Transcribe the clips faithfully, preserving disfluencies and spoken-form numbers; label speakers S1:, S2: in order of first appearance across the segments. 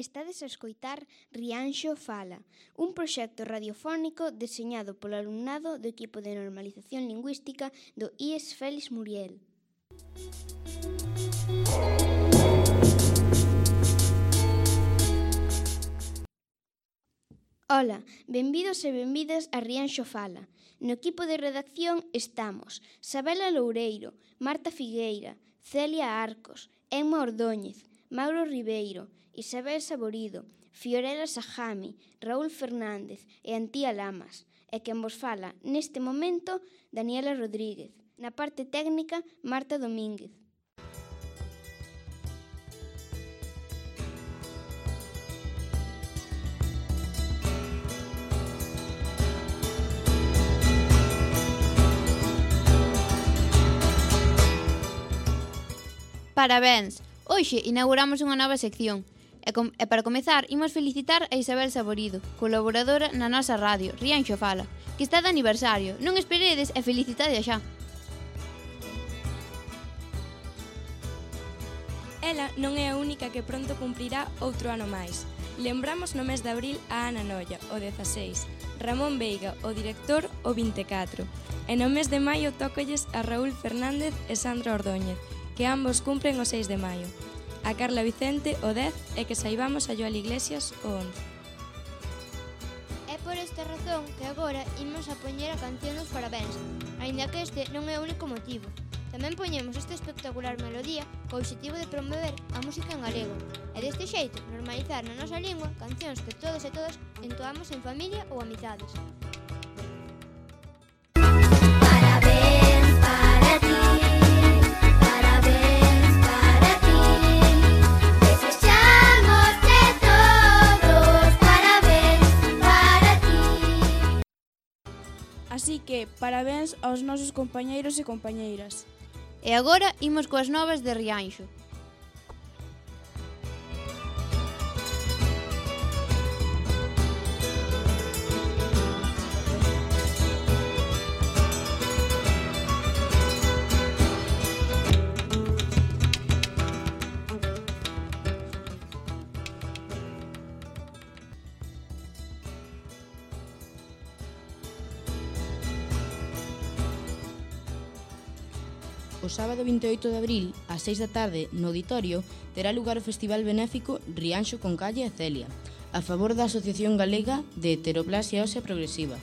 S1: Estades a escoitar Rianxo Fala, un proxecto radiofónico deseñado polo alumnado do equipo de normalización lingüística do I E S Félix Muriel. Ola, benvidos e benvidas a Rianxo Fala. No equipo de redacción estamos Sabela Loureiro, Marta Figueira, Celia Arcos, Emma Ordóñez, Mauro Ribeiro, Isabel Saborido, Fiorella Sajami, Raúl Fernández e Antía Lamas. E quen vos fala neste momento, Daniela Rodríguez. Na parte técnica, Marta Domínguez.
S2: Parabéns! Hoxe inauguramos unha nova sección. E, com, e para comezar, imos felicitar a Isabel Saborido, colaboradora na nosa radio, Rianxo Fala, que está de aniversario. Non esperedes e felicitade xa.
S3: Ela non é a única que pronto cumprirá outro ano máis. Lembramos no mes de abril a Ana Noia, o dezaseis, Ramón Veiga, o director, o vinte e catro. E no mes de maio tócolles a Raúl Fernández e Sandra Ordóñez, que ambos cumpren o seis de maio. A Carla Vicente o dez e que saibamos a Joel Iglesias o once.
S4: É por esta razón que agora imos a poñer a canción dos parabéns, aínda que este non é o único motivo. Tamén poñemos esta espectacular melodía co obxectivo de promover a música en galego e deste xeito normalizar na nosa lingua cancións que todos e todas entoamos en familia ou amizades.
S5: Así que, parabéns aos nosos compañeiros e compañeiras.
S2: E agora imos coas novas de Rianxo.
S6: O sábado vinte e oito de abril, ás seis da tarde, no auditorio, terá lugar o Festival Benéfico Rianxo con Calle e Celia, a favor da Asociación Galega de Heteroplasia Ósea Progresiva.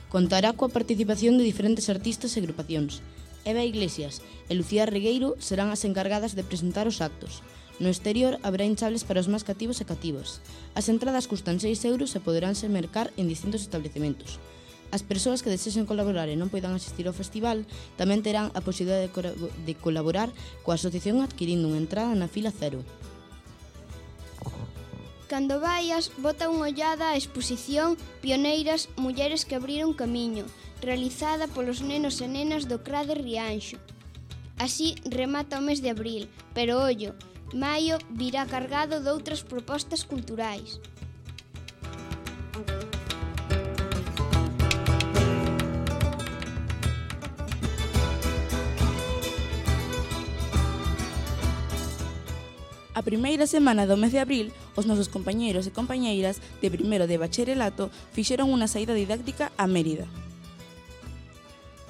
S6: Contará coa participación de diferentes artistas e agrupacións. Eva Iglesias e Lucía Regueiro serán as encargadas de presentar os actos. No exterior haberá hinchables para os máis cativos e cativas. As entradas custan seis euros e poderánse mercar en distintos establecementos. As persoas que desexen colaborar e non poidan asistir ao festival tamén terán a posibilidade de colaborar coa asociación adquirindo unha entrada na fila cero.
S1: Cando vaias, bota unha ollada á exposición Pioneiras, mulleres que abriron camiño, realizada polos nenos e nenas do C R A de Rianxo. Así remata o mes de abril, pero ollo, maio virá cargado doutras propostas culturais.
S5: A primeira semana do mes de abril, os nosos compañeiros e compañeiras de primeiro de bacharelato fixeron unha saída didáctica a Mérida.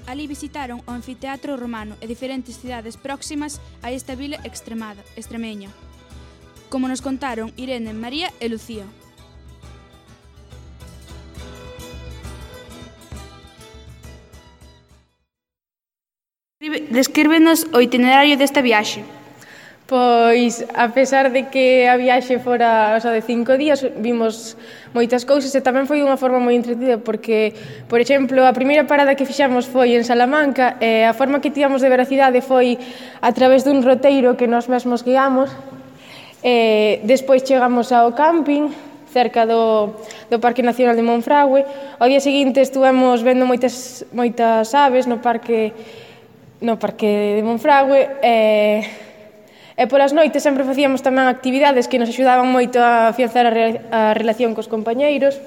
S7: Alí visitaron o anfiteatro romano e diferentes cidades próximas a esta vila extremada, extremeña, como nos contaron Irene, María e Lucía. Descríbenos o itinerario desta viaxe.
S8: Pois, a pesar de que a viaxe fora só de cinco días, vimos moitas cousas e tamén foi unha forma moi entretida porque, por exemplo, a primeira parada que fixamos foi en Salamanca e a forma que tivamos de ver a cidade foi a través dun roteiro que nós mesmos guiamos. E despois chegamos ao camping cerca do, do Parque Nacional de Monfragüe. Ao día seguinte estuvemos vendo moitas, moitas aves no Parque, no parque de Monfragüe e... E polas noites sempre facíamos tamén actividades que nos axudaban moito a afianzar a, re a relación cos compañeiros.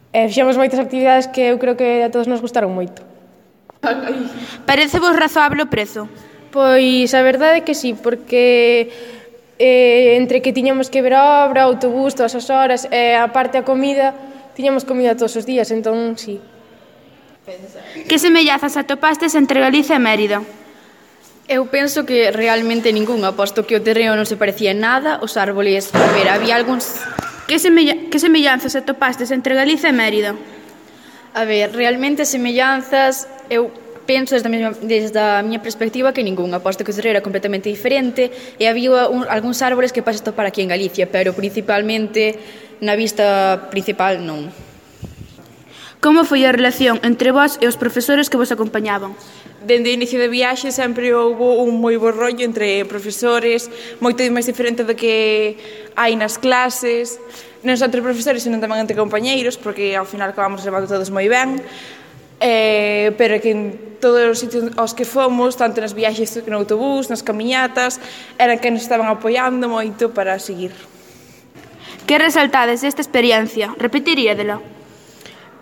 S8: E fixemos moitas actividades que eu creo que a todos nos gustaron moito.
S7: Parece vos razoable o prezo?
S8: Pois a verdade é que sí, porque eh, entre que tiñamos que ver a obra, autobús, todas as horas, e a parte a comida, tiñamos comida todos os días, entón, sí.
S7: Que semellazas atopastes entre Galicia e Mérida?
S9: Eu penso que realmente ningunha, posto que o terreno non se parecía en nada, os árboles, a ver, había algúns...
S7: Que, semella... que semellanzas atopastes entre Galicia e Mérida?
S9: A ver, realmente semellanzas, eu penso desde a, mesma, desde a miña perspectiva que ningunha, posto que o terreno era completamente diferente e había un, algúns árboles que pasas topar aquí en Galicia, pero principalmente na vista principal non.
S7: Como foi a relación entre vós e os profesores que vos acompañaban?
S5: Dende o inicio da viaxe sempre houve un moi bo rollo entre profesores, moito máis diferente do que hai nas clases, non só entre profesores, senón tamén entre compañeiros, porque ao final acabamos levando todos moi ben, eh, pero que en todos os sitios aos que fomos, tanto nas viaxes no autobús, nas camiñatas, eran que nos estaban apoiando moito para seguir.
S7: Que resaltades desta experiencia? Repetiríadela?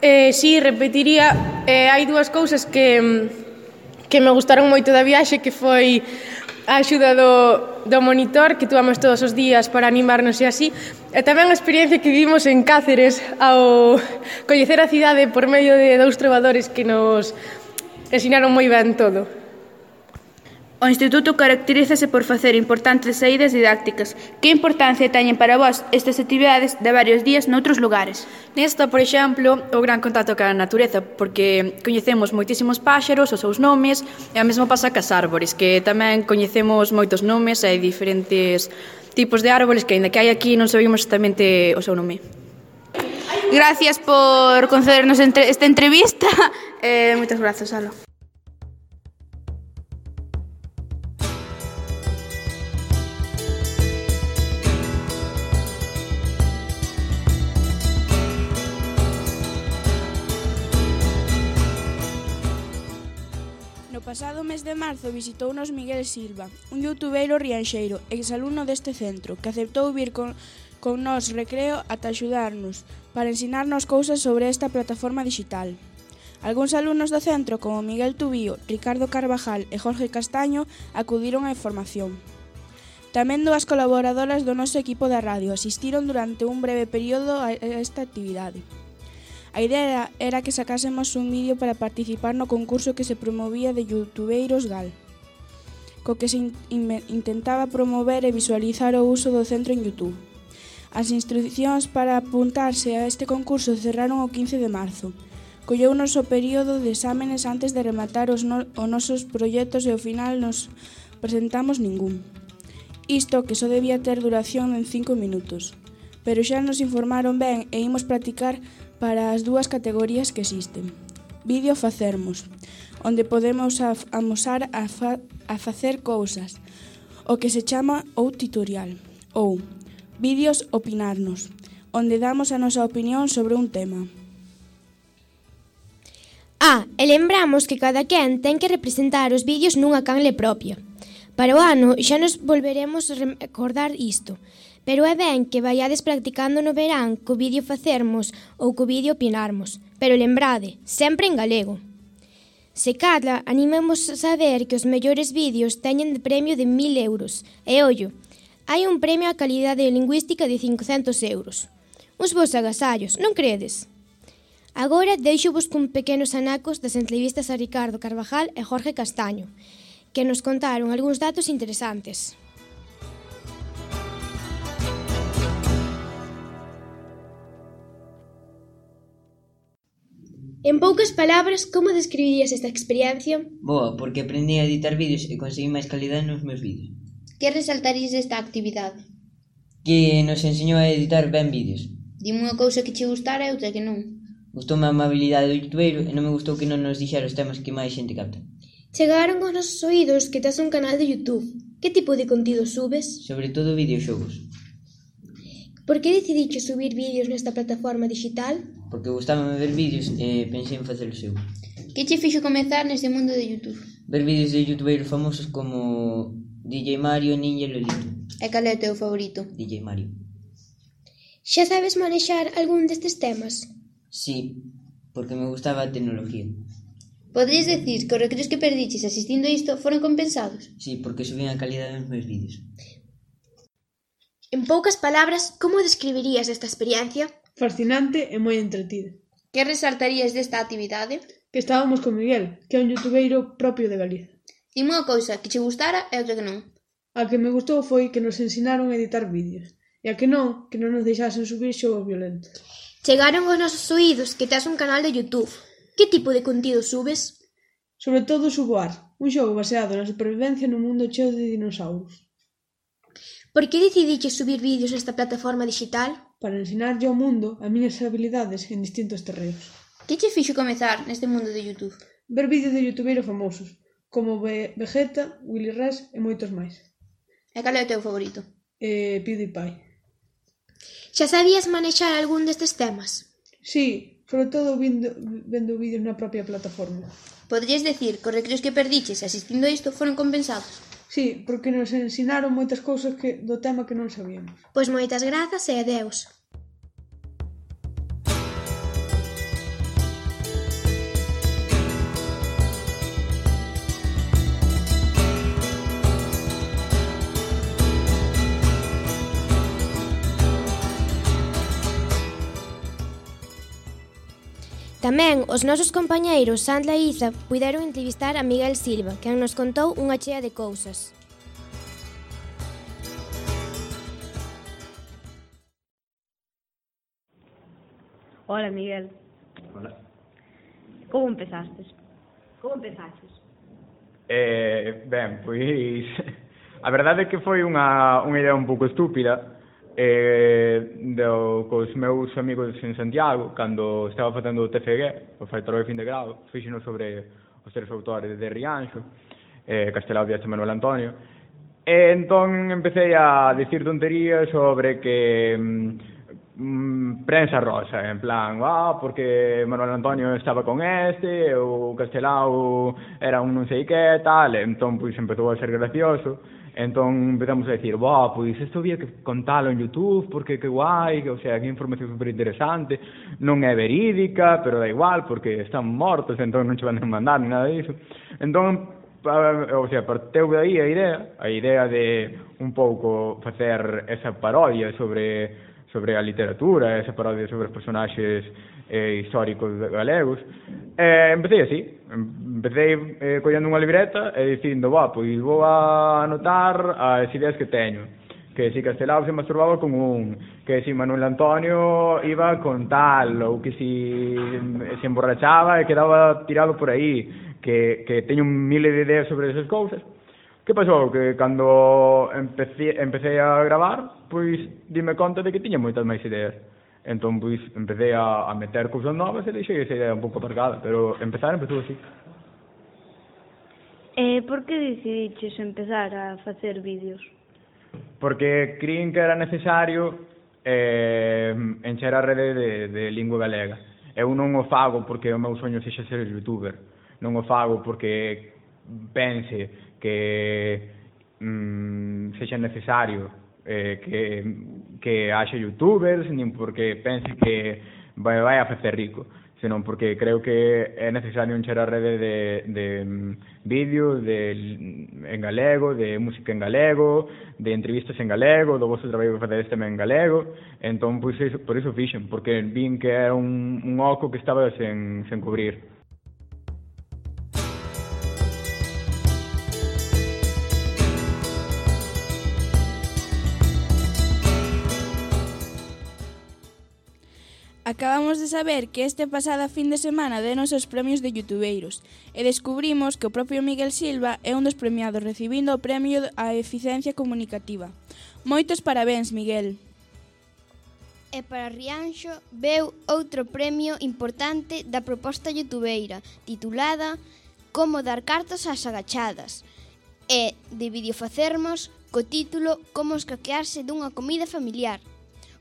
S8: Eh, sí, repetiría. Eh, hai dúas cousas que... que me gustaron moito da viaxe, que foi a axuda do, do monitor que tuamos todos os días para animarnos e así, e tamén a experiencia que vivimos en Cáceres ao coñecer a cidade por medio de dous trovadores que nos ensinaron moi ben todo.
S7: O Instituto caracterízase por facer importantes saídas didácticas. Que importancia teñen para vós estas actividades de varios días noutros lugares?
S9: Nesta, por exemplo, o gran contacto ca natureza, porque coñecemos moitísimos páxaros, os seus nomes, e a mesma pasa cas árbores, que tamén coñecemos moitos nomes e diferentes tipos de árboles que, aínda que hai aquí, non sabemos exactamente o seu nome.
S7: Gracias por concedernos esta entrevista. Eh, moitas grazas, Ala.
S10: No pasado mes de marzo visitounos Miguel Silva, un youtubeiro rianxeiro, exalumno deste centro, que aceptou vir con, con nos recreo ata axudarnos, para ensinarnos cousas sobre esta plataforma digital. Algúns alumnos do centro, como Miguel Tubío, Ricardo Carvajal e Jorge Castaño, acudiron á información. Tamén dúas colaboradoras do noso equipo da radio asistiron durante un breve período a esta actividade. A idea era que sacásemos un vídeo para participar no concurso que se promovía de Youtubeiros Gal, co que se in intentaba promover e visualizar o uso do centro en YouTube. As instruccións para apuntarse a este concurso cerraron o quince de marzo. Colleunos o período de exámenes antes de rematar os, no os nosos proxectos e ao final nos presentamos ningún. Isto que só debía ter duración en cinco minutos, pero xa nos informaron ben e imos practicar para as dúas categorías que existen. Vídeo facermos, onde podemos amosar a, fa a facer cousas, o que se chama ou tutorial, ou vídeos opinarnos, onde damos a nosa opinión sobre un tema.
S4: Ah, e lembramos que cada quen ten que representar os vídeos nunha canle propia. Para o ano xa nos volveremos a recordar isto, pero é ben que vaiades practicando no verán co vídeo facermos ou co vídeo opinarmos, pero lembrade, sempre en galego. Se cadra, animemos a saber que os mellores vídeos teñen de premio de mil euros, e ollo, hai un premio á calidade lingüística de cincocentos euros. Uns bons agasallos, non credes? Agora deixo-vos cun pequenos anacos das entrevistas a Ricardo Carvajal e Jorge Castaño, que nos contaron algúns datos interesantes. En poucas palabras, como describirías esta experiencia?
S11: Boa, porque aprendi a editar vídeos e conseguí máis calidade nos meus vídeos.
S2: Que resaltarías desta actividade?
S11: Que nos enseñou a editar ben vídeos.
S2: Dime unha cousa que che gustara e outra que non.
S11: Gustoume a amabilidade do youtubeiro e non me gustou que non nos dixera os temas que máis xente capta.
S4: Chegaron aos nosos oídos que tes un canal de YouTube. Que tipo de contido subes?
S11: Sobre todo videoxogos.
S4: Por que decidiches subir vídeos nesta plataforma digital?
S11: Porque gustábame ver vídeos e pensei en facer o seu.
S2: Que che fixo comezar neste mundo de YouTube?
S11: Ver vídeos de youtubeiros famosos como D J Mario, Ninja e Lolito.
S2: E cal é o teu favorito?
S11: D J Mario.
S4: Xa sabes manexar algún destes temas?
S11: Sí, porque me gustaba a tecnología.
S2: Poderías decir que os recreos que perdiches asistindo a isto foron compensados?
S11: Sí, porque subín a calidade nos meus vídeos.
S12: En poucas palabras, como describirías esta experiencia?
S13: Fascinante e moi entretida.
S2: Que resaltarías desta actividade?
S13: Que estábamos con Miguel, que é un youtubeiro propio de Galiza.
S2: Dime unha cousa que che gustara e outra que non.
S13: A que me gustou foi que nos ensinaron a editar vídeos, e a que non, que non nos deixasen subir xogos violentos.
S12: Chegaron aos nosos oídos que tes un canal de YouTube. Que tipo de contido subes?
S13: Sobre todo subo Ar, un xogo baseado na supervivencia nun mundo cheo de dinosauros.
S12: Por que decidiches subir vídeos nesta plataforma digital?
S13: Para ensinarlle ao mundo as miñas habilidades en distintos terreos.
S2: Que che fixo comezar neste mundo de YouTube?
S13: Ver vídeos de youtubeiros famosos, como Vegeta, Willy Rex e moitos máis.
S2: E cal é o teu favorito?
S13: Eh, PewDiePie.
S12: Xa sabías manexar algún destes temas?
S13: Sí, sobre todo vendo, vendo vídeos na propia plataforma.
S2: Poderías decir que os recreos que perdiches asistindo a isto foron compensados?
S13: Sí, porque nos ensinaron moitas cousas que, do tema que non sabíamos.
S12: Pois moitas grazas e adeus. Tamén os nosos compañeiros Sandra e Iza puideron entrevistar a Miguel Silva, quen nos contou unha chea de cousas.
S14: Hola, Miguel.
S15: Hola.
S14: Como empezastes? Como empezaches?
S15: Eh, ben, pois a verdade é que foi unha, unha idea un pouco estúpida eh, do, cos meus amigos en Santiago, cando estaba facendo o T F G, o Faitor de fin de grado, fixeno sobre os tres autores de Rianxo, eh, Castelao, Diaz e Manuel Antonio, e entón empecé a dicir tonterías sobre que mm, prensa rosa, en plan, ah, porque Manuel Antonio estaba con este, o Castelao era un non sei que, tal, e entón pois empezou a ser gracioso. Entón empezamos a dicir, boh, pois isto había que contalo en YouTube, porque que guai, que, o sea, que información super interesante, non é verídica, pero da igual, porque están mortos, entón non che van a mandar ni nada disso. Entón, o sea, parteu de aí a idea, a idea de un pouco facer esa parodia sobre sobre a literatura, esa parodia sobre os personaxes eh, históricos galegos. E empecé así, empecé eh, collendo unha libreta e dicindo, va, pois vou a anotar as ideas que teño, que si Castelao se masturbaba con un, que si Manuel Antonio iba con tal, ou que si se emborrachaba e quedaba tirado por aí, que, que teño miles de ideas sobre esas cousas. Que pasou? Que cando empecé, empecé a gravar, pois dime conta de que tiña moitas máis ideas. Entón, pois, empecé a, a meter cousas novas e deixei esa idea un pouco aparcada, pero empezar empezou así.
S14: Eh, por que decidiches empezar a facer vídeos?
S15: Porque crin que era necesario eh, encher a rede de, de lingua galega. Eu non o fago porque o meu soño sexa ser youtuber. Non o fago porque pense que mm, sexa necesario eh, que, que haxa youtubers, nin porque pense que vai, vai a facer rico, senón porque creo que é necesario encher a rede de, de mm, vídeos de, en galego, de música en galego, de entrevistas en galego, do vosso traballo que facedes tamén en galego. Entón, pois, iso, por iso fixen, porque vin que era un, un oco que estaba sen, sen cubrir.
S10: Acabamos de saber que este pasada fin de semana denos os premios de youtubeiros e descubrimos que o propio Miguel Silva é un dos premiados recibindo o premio á eficiencia comunicativa. Moitos parabéns, Miguel.
S1: E para Rianxo veu outro premio importante da proposta youtubeira titulada Como dar cartos ás agachadas e de videofacermos co título Como escaquearse dunha comida familiar.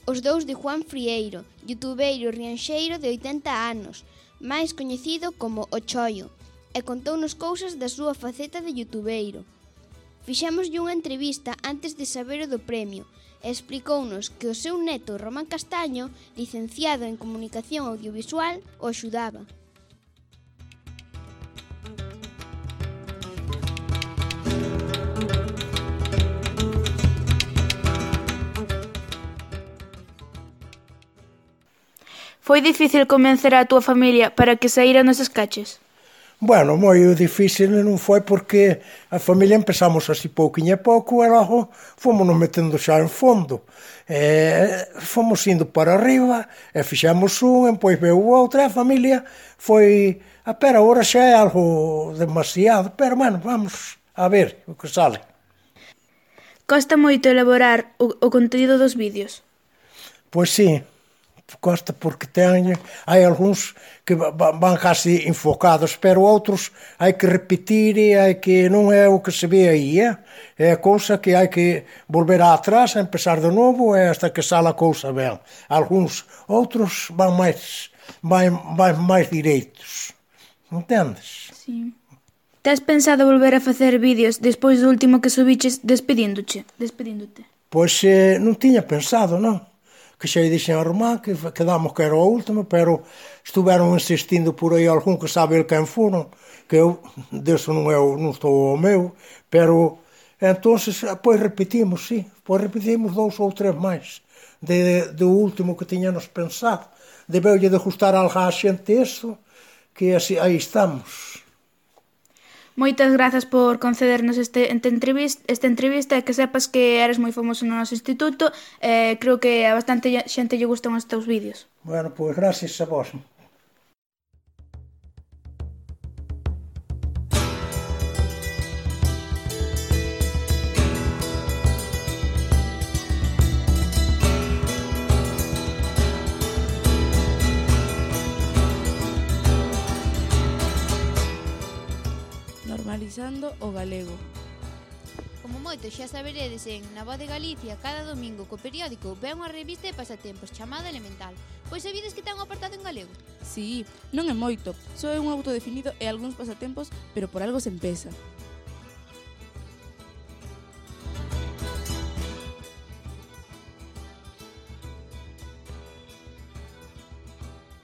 S1: Os dous de Juan Frieiro, youtubeiro rianxeiro de oitenta anos, máis coñecido como O Choio, e contounos cousas da súa faceta de youtubeiro. Fixémoslle unha entrevista antes de saber o do premio e explicounos que o seu neto Román Castaño, licenciado en Comunicación Audiovisual, o axudaba.
S7: foi difícil convencer a túa familia para que saíran nos escaches?
S16: Bueno, moi difícil non foi porque a familia empezamos así pouquinho a pouco e logo fomos nos metendo xa en fondo. E fomos indo para arriba e fixemos un, e pois veu outro, e a familia foi... A pero agora xa é algo demasiado, pero bueno, vamos a ver o que sale.
S7: Costa moito elaborar o, o conteúdo dos vídeos?
S16: Pois sí, costa porque ten, hai algúns que van casi enfocados, pero outros hai que repetir e hai que non é o que se ve aí, é, é a cousa que hai que volver atrás, a empezar de novo e hasta que sala a cousa ben. Algúns, outros van máis, van, van máis direitos, entendes?
S7: Sí. Tes pensado volver a facer vídeos despois do último que subiches despedíndoche, despedíndote?
S16: Pois eh, non tiña pensado, non? Que xa dixen a Román que quedamos que era o último, pero estuveron insistindo por aí algún que sabe el quen foron, que eu, deso non, eu, non estou o meu, pero entonces, pois repetimos, sí, pois repetimos dous ou tres máis de, de, do último que tiñanos pensado. Debeulle de gustar algo a xente isto, que así, aí estamos.
S7: Moitas grazas por concedernos este, este entrevista, esta entrevista e que sepas que eres moi famoso no noso instituto e eh, creo que a bastante xente lle gustan os teus vídeos.
S16: Bueno, pois gracias a vos.
S10: Normalizando o galego.
S2: Como moito xa saberedes en Na Voz de Galicia, cada domingo co periódico ve unha revista de pasatempos chamada Elemental. Pois sabides que ten un apartado en galego?
S10: Sí, non é moito, só é un autodefinido e algúns pasatempos, pero por algo se empeza.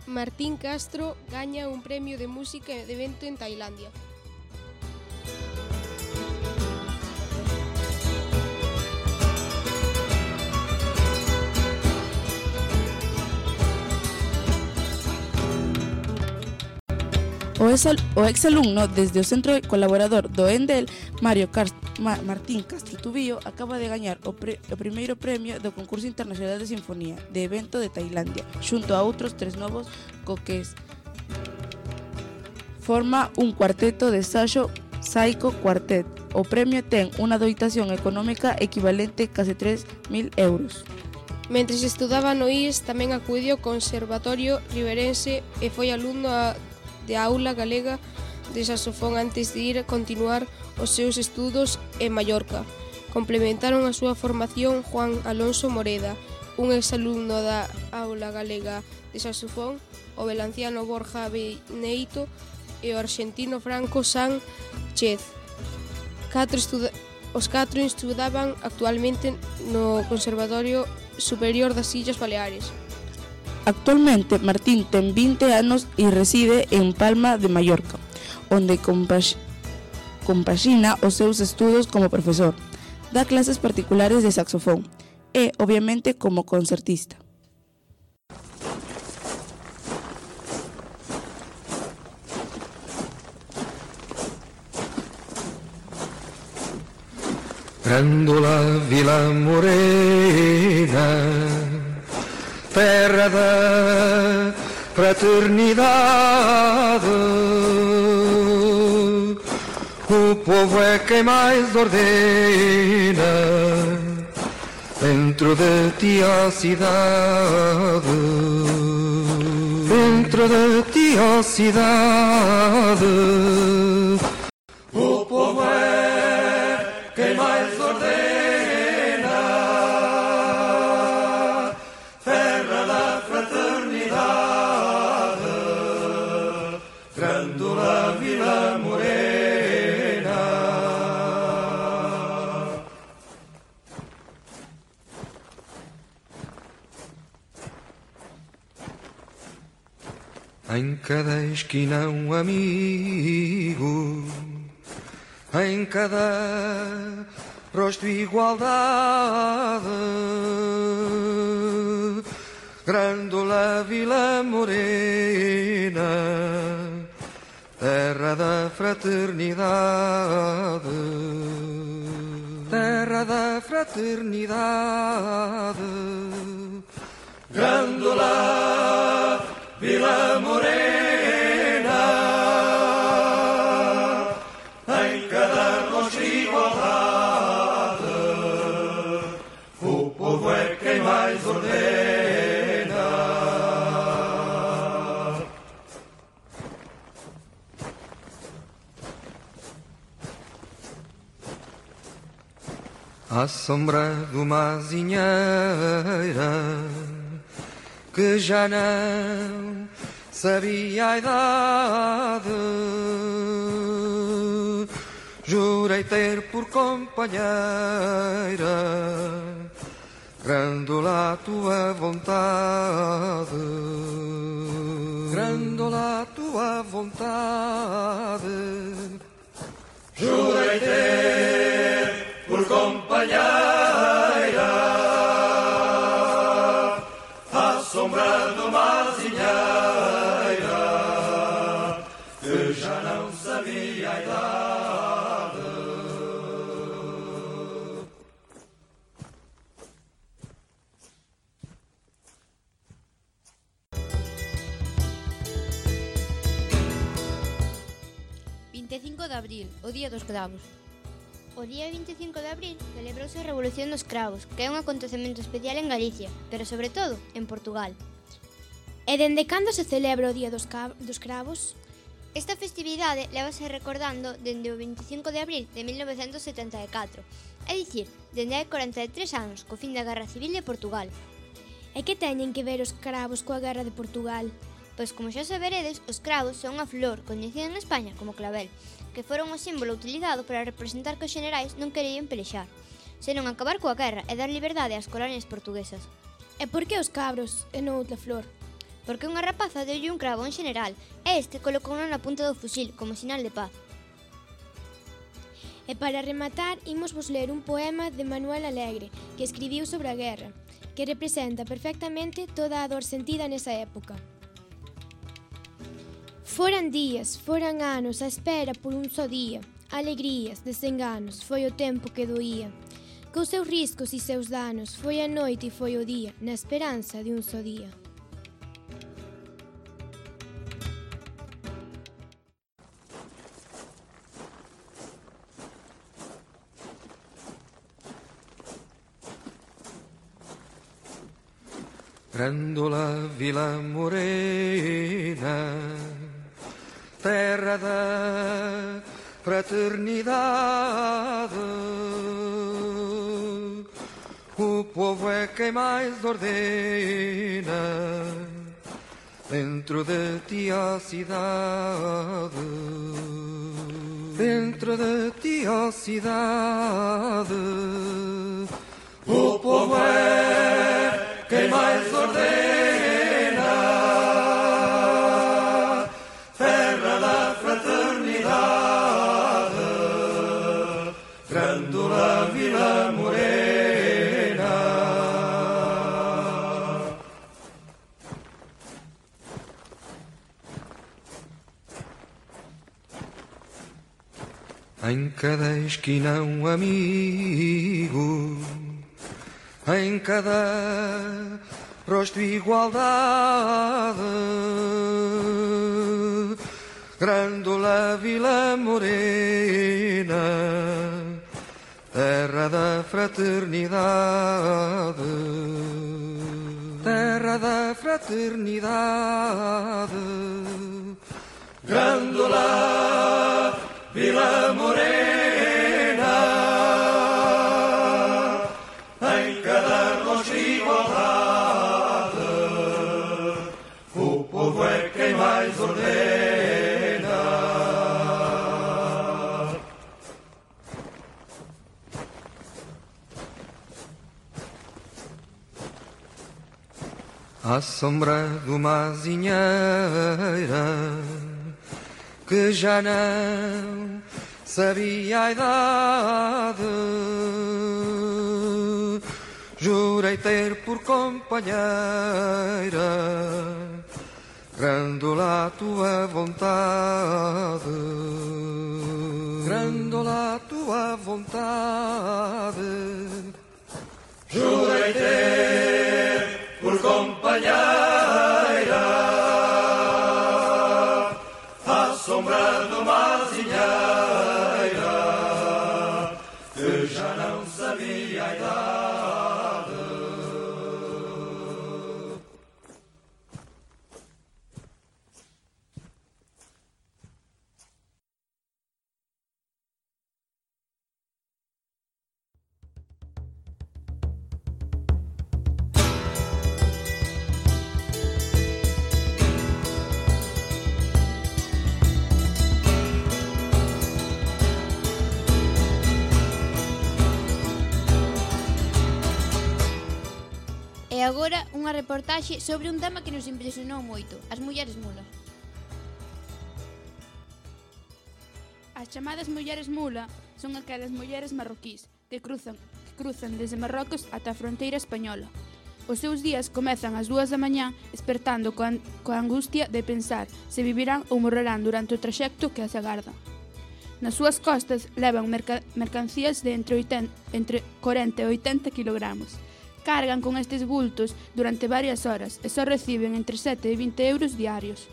S17: Martín Castro gaña un premio de música de evento en Tailandia.
S10: O exalumno desde o centro colaborador do Endel, Mario Cast Ma Martín Castro Tubío, acaba de gañar o, pre o primeiro premio do concurso internacional de sinfonía de evento de Tailandia, xunto a outros tres novos co que forma un cuarteto de Saxo Saiko Quartet. O premio ten unha dotación económica equivalente a case tres mil euros.
S17: Mentres estudaba no I E S, tamén acudiu ao Conservatorio Riverense e foi alumno a de aula galega de saxofón antes de ir a continuar os seus estudos en Mallorca. Complementaron a súa formación Juan Alonso Moreda, un exalumno da aula galega de saxofón, o valenciano Borja Beneito e o arxentino Franco Sánchez. Catro estuda os catro estudaban actualmente no Conservatorio Superior das Illas Baleares.
S10: Actualmente, Martín ten vinte anos e reside en Palma de Mallorca, onde compax compaxina os seus estudos como profesor, dá clases particulares de saxofón e, obviamente, como concertista.
S18: Grândola Vila Morena, terra da fraternidade, o povo é quem mais ordena dentro de ti a cidade, dentro de ti a cidade, o povo é quem mais ordena. Em cada esquina um amigo, em cada rosto igualdade, Grândola Vila Morena, terra da fraternidade, terra da fraternidade. Grândola Vila Morena, em cada rosto igualdade, o povo é quem mais ordena. À sombra de uma azinheira que já não sabia a idade, jurei ter por companheira Grândola a tua vontade, Grândola a tua vontade. Jurei ter por companheira à sombra de uma azinheira que já não sabia a idade.
S2: vinte e cinco de abril, o Día dos Cravos.
S4: O día vinte e cinco de abril celebrouse a Revolución dos Cravos, que é un acontecemento especial en Galicia, pero sobre todo en Portugal.
S12: E dende cando se celebra o Día dos, dos Cravos?
S4: Esta festividade levase recordando dende o vinte e cinco de abril de mil novecentos setenta e catro, é dicir, dende hai corenta e tres anos, co fin da Guerra Civil de Portugal.
S12: E que teñen que ver os cravos coa Guerra de Portugal?
S4: Pois como xa saberedes, os cravos son unha flor coñecida en España como clavel, que foron o símbolo utilizado para representar que os xenerais non querían pelexar, senón acabar coa guerra e dar liberdade ás colonias portuguesas.
S12: E por que os cabros e non outra flor?
S4: Porque unha rapaza deulle un cravo a un xeneral e este colocouno na punta do fusil como sinal de paz.
S12: E para rematar, imos vos ler un poema de Manuel Alegre que escribiu sobre a guerra, que representa perfectamente toda a dor sentida nesa época. Foran días, foran anos a espera por un só día, alegrías, desenganos, foi o tempo que doía. Cos seus riscos e seus danos, foi a noite e foi o día, na esperanza de un só día.
S18: Grândola Vila Morena, terra da fraternidade, o povo é quem mais ordena, dentro de ti a cidade, dentro de ti a cidade, o povo é quem mais ordena, terra da fraternidade, Grândola Vila Morena. Em cada esquina um amigo, em cada rosto igualdade, Grândola Vila Morena, terra da fraternidade, terra da fraternidade, Grândola Vila Morena. O povo é quem mais ordena. À sombra de uma azinheira que já não sabia a idade, jurei ter por companheira Grandola a tua vontade, Grandola a tua vontade.
S19: Jurei ter por companheira a sombra de uma azinheira que já não sabia a idade.
S2: E agora unha reportaxe sobre un tema que nos impresionou moito, as mulleres mulas.
S10: As chamadas mulleres mula son aquelas mulleres marroquís que cruzan, que cruzan desde Marrocos ata a fronteira española. Os seus días comezan ás dúas da mañá espertando coa, coa angustia de pensar se vivirán ou morrerán durante o traxecto que as agarda. Nas súas costas levan merca, mercancías de entre, oitenta, entre corenta e oitenta kilogramos. Cargan con estes bultos durante varias horas e só reciben entre sete e vinte euros diarios.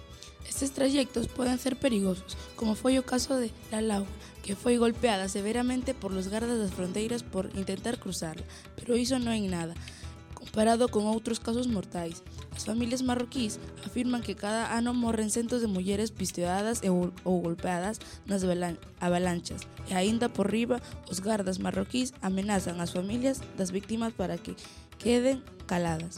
S20: Estes trayectos poden ser perigosos, como foi o caso de Lalau, que foi golpeada severamente por los gardas das fronteiras por intentar cruzarla, pero iso non é nada, comparado con outros casos mortais. As familias marroquís afirman que cada ano morren centos de mulleres pistoeadas e ou, ou golpeadas nas avalanchas, e aínda por riba os gardas marroquís amenazan as familias das víctimas para que queden caladas.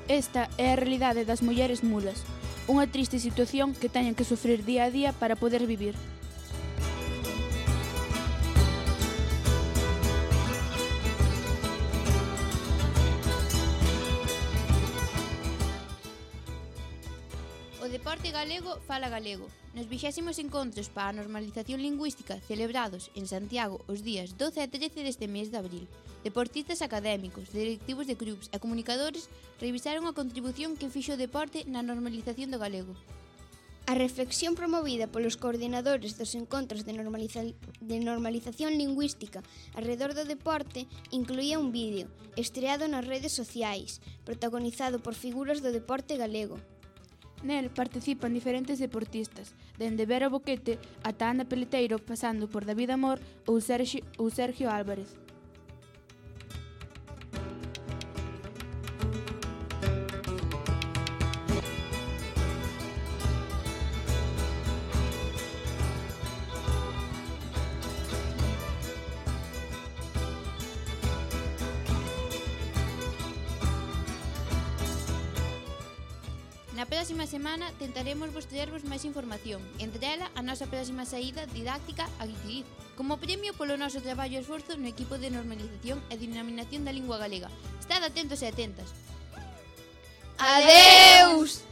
S10: Esta é a realidade das mulleres mulas, unha triste situación que teñen que sufrir día a día para poder vivir.
S2: O deporte galego fala galego. Nos vixésimos encontros para a normalización lingüística celebrados en Santiago os días doce e trece deste mes de abril, deportistas académicos, directivos de clubs e comunicadores revisaron a contribución que fixo o deporte na normalización do galego.
S1: A reflexión promovida polos coordinadores dos encontros de, normaliza de normalización lingüística alrededor do deporte incluía un vídeo estreado nas redes sociais, protagonizado por figuras do deporte galego.
S10: Nel participan diferentes deportistas, dende Vera Boquete ata Ana Peleteiro, pasando por David Amor ou Sergio, ou Sergio Álvarez.
S2: Na próxima semana tentaremos vos traervos máis información, entre ela a nosa próxima saída didáctica a Guitiriz, como premio polo noso traballo e esforzo no equipo de normalización e denominación da lingua galega. Estad atentos e atentas.
S1: Adeus!